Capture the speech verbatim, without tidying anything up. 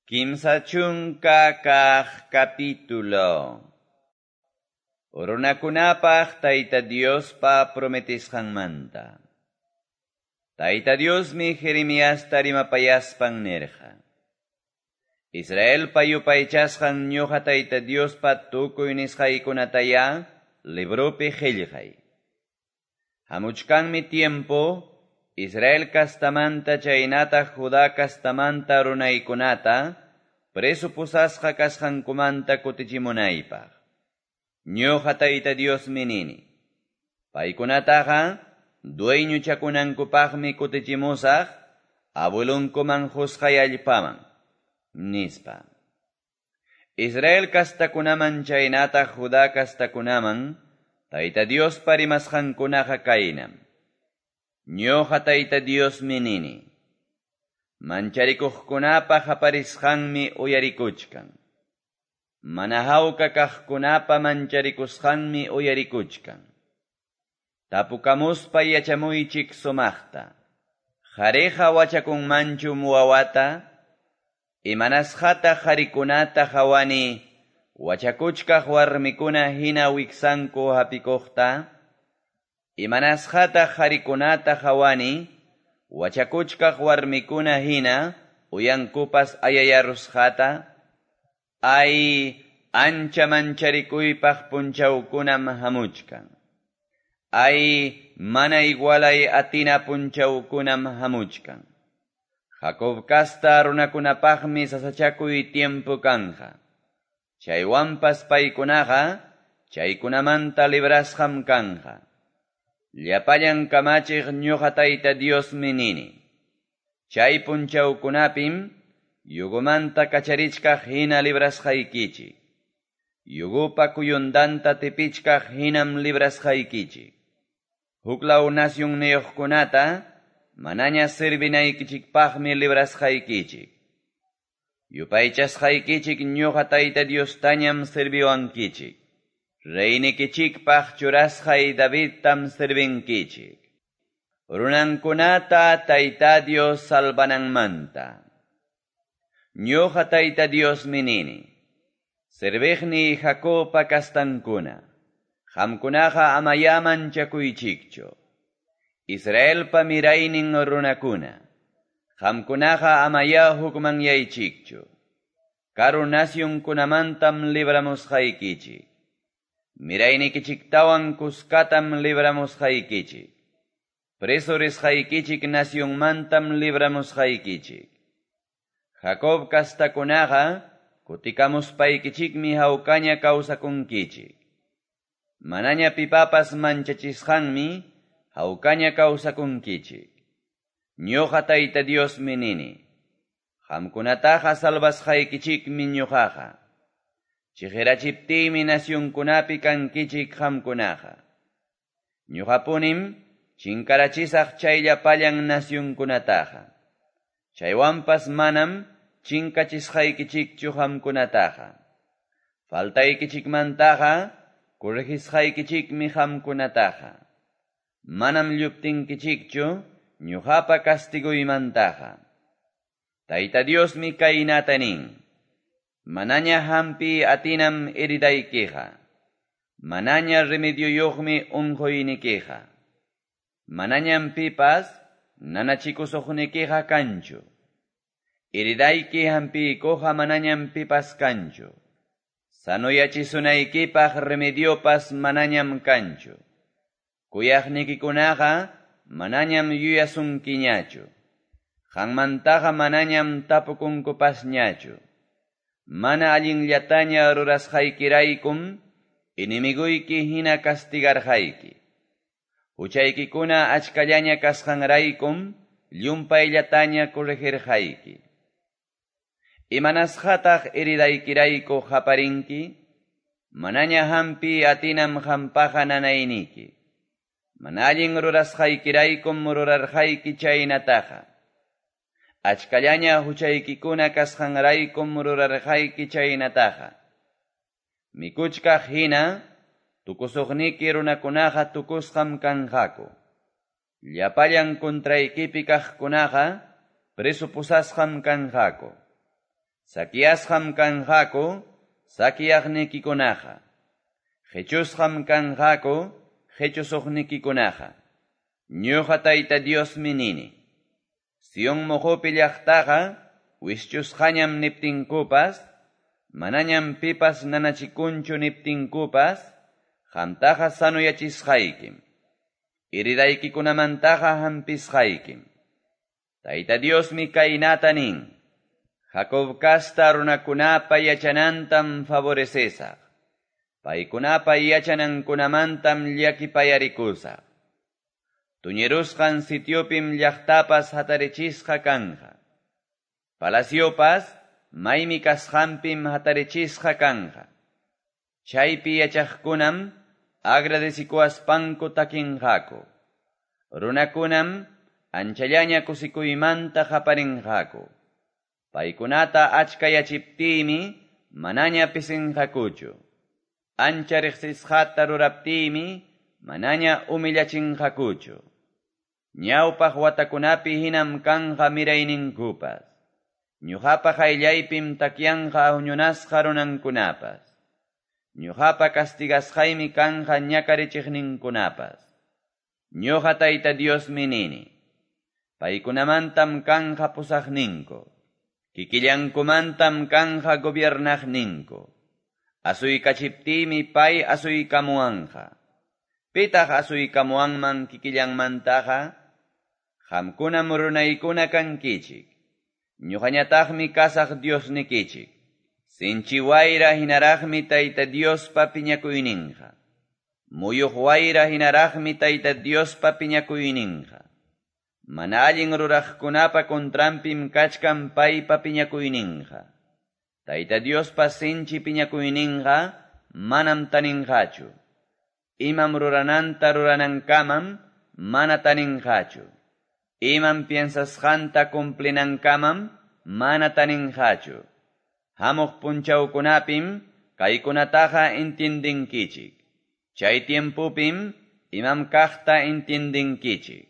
Kimsa chunka kaq capítulo. Runakunapaq Tayta Diospa prometisqanmanta. Tayta Diosmi Jeremiasta rimapayaspan nirqa. Israelpa yupaychasqan ñuqa Tayta Diospa tukuy nisqaykunataya libropi qillqay. Hamuchkanmi tiempo Israel kastamanta chaynataq Judá kastamanta runaykunata preso pusasqa kasqankumanta kutichimunaypaq. Ñuqa Tayta Diosmi nini. Paykunataqa dueñochakunankupaqmi kutichimusaq abuelunkuman qusqay allpaman, nispa. Israel kastakunaman chaynataq Judá kastakunaman Tayta Diospa rimasqankunaqa kaynam. Ñuqa Tayta Diosmi nini. Mancharikuqkunapa qaparisqanmi uyarikuchkan. Mana hawka kaqkunapa mancharikusqanmi uyarikuchkan. Tapukamuspa yachamuychik sumaqta. Qhariqa wachakunmanchu wawata? Imanasqataq qharikunata qhawani wachakuchkaq warmikuna hina wiksanku hapikuqta? Imanasqataq qharikunata qhawani wachakuchkaq warmikuna hina uyankupas ayayarusqata? Ay, ancha mancharikuypaq punchawkunam hamuchkan. Ay, mana igualay atina punchawkunam hamuchkan. Jacob kasta runakunapaqmi sasachakuy tiempo kanja. Chaywanpas paykunaqa chaykunamanta librasqam kanja. Llapallan kamachiq ñuqa Tayta Diosmi nini. Chay punchawkunapim yugumanta kacharichkaq hina librasqaykichik. Yugupa kuyundanta tipichkaq hinam librasqaykichik. Huklaw nasyunniyuqkunata manaña servinaykichikpaqmi librasqaykichik. Yupaychasqaykichik ñuqa Tayta Diostañam serviwankichik. Reynikichikpaq churasqay Davidtam servinkichik. Runankunata Tayta Dios salvananmanta. Ñuqa Tayta Diosmi nini. Serviqniy Jacobpa kastankuna. Qamkunaqa amaya manchakuychikchu. Israelpa miraynin runakuna. Qamkunaqa amaya hukmanyaychikchu. Karu nasyunkunamantam libramusqaykichik. Miraynikichiktawan kuskatam libramusqaykichik. Preso risqaykichik nasyunmantam libramusqaykichik. Jacob kastakunaqa kutikamuspaykichikmi hawkaña kawsakunkichik. Manaña pipapas manchachisqanmi hawkaña kawsakunkichik. Ñuqa Tayta Diosmi nini. Qamkunataqa salvasqaykichikmi ñuqaqa. Chiqirachiptiymi nasyunkunapi kankichik qamkunaqa. Ñuqapunim chinkarachisaq chay llapallan nasyunkunataqa. Chaywanpas manam chinkachisqaykichikchu qamkunataqa. Faltaykichikmantaqa corregisqaykichikmi qamkunataqa. Manam lluptinkichikchu ñuqapa castiguymantaqa. Tayta Diosmi kaynata nin. Manaña hampi atinam heridaykiqa. Manaña remedioyuqmi unquynikiqa. Manañam pipas nanachikusuqnikiqa kanchu. Heridayki hampiykuqa manañam pipas kanchu. Sanoyachisunaykipaq remediopas manañam kanchu. Kuyaqnikikunaqa manañam yuyasunkiñachu. Qanmantaqa manañam tapukunkupasñachu. Mana allinllataña rurasqaykiraykum enemiguyki hina castigarqayki. Huchaykikuna achkallaña kasqanraykum llumpayllataña corregirqayki. Imanasqataq heridaykirayku qaparinki? Manaña hampi atinam qampaqa nanayniki. Mana allin rurasqaykiraykum rurarqayki chaynataqa. Achkallaña huchaykikuna kasqanraykum rurarqayki chaynataqa. Mikuchkaq hina tukusuqniki runakunaqa tukusqam kanqaku. Llapallan contraykipi kaqkunaqa preso pusasqam kanqaku. Saqueasqam kanqaku saqueaqnikikunaqa. Qechusqam kanqaku qechusuqnikikunaqa. Ñuqa Tayta Diosmi nini. Sion moqopi llaqtaqa wischusqañam niptinkupas, manañam pipas nanachikunchu niptinkupas, qamtaqa sanuyachisqaykim. Heridayki-kunamantaqa hampisqaykim. Tayta Diosmi kaynata nin. Jacob casta runakunapa yachanantam favorecesaq. Paykunapa yachanankunamantam llakipayarikusaq. Tuñirusqan sitiopim llaqtapas hatarichisqa kanja. Palaciopas maymi kasqanpim hatarichisqa kanja. Chaypi yachaqkunam agradecikuaspanku takinqaku. Runakunam anchallaña kusikuymanta qaparinqaku. Paykunata achkayachiptiymi manaña pisinqakuchu. Ancha riqsisqata ruraptiymi manaña humillachinqakuchu. Ñawpaq watakunapi hinam kanqa mirayninkupas. Ñuqapa qayllaypim takyanqa huñunasqa runankunapas. Ñuqapa castigasqaymi kanqa ñakarichiqninkunapas. Ñuqa Tayta Diosmi nini. Paykunamantam kanqa pusaqninku. Kikillankumantam kanqa gobiernaqninku. Asuykachiptiymi pay asuykamuwanqa. Pitaq asuykamuwanman kikillanmantaqa? Qamkunam runaykuna kankichik. Ñuqañataqmi kasaq Diosnikichik. Sinchi wayra hinaraqmi Tayta Diospa piñakuyninqa. Muyuq wayra hinaraqmi Tayta Diospa piñakuyninqa. Mana allin ruraqkunapa contranpim kachkan paypa piñakuyninqa. Tayta Diospa sinchi piñakuyninqa manam taninqachu. Imam rurananta ruranankamam mana taninqachu. Imam piensasqanta cumplinankamam mana taninqachu. Hamuq punchawkunapim kaykunataqa entiendinkichik. Chay tiempupim imam kaqta entiendinkichik.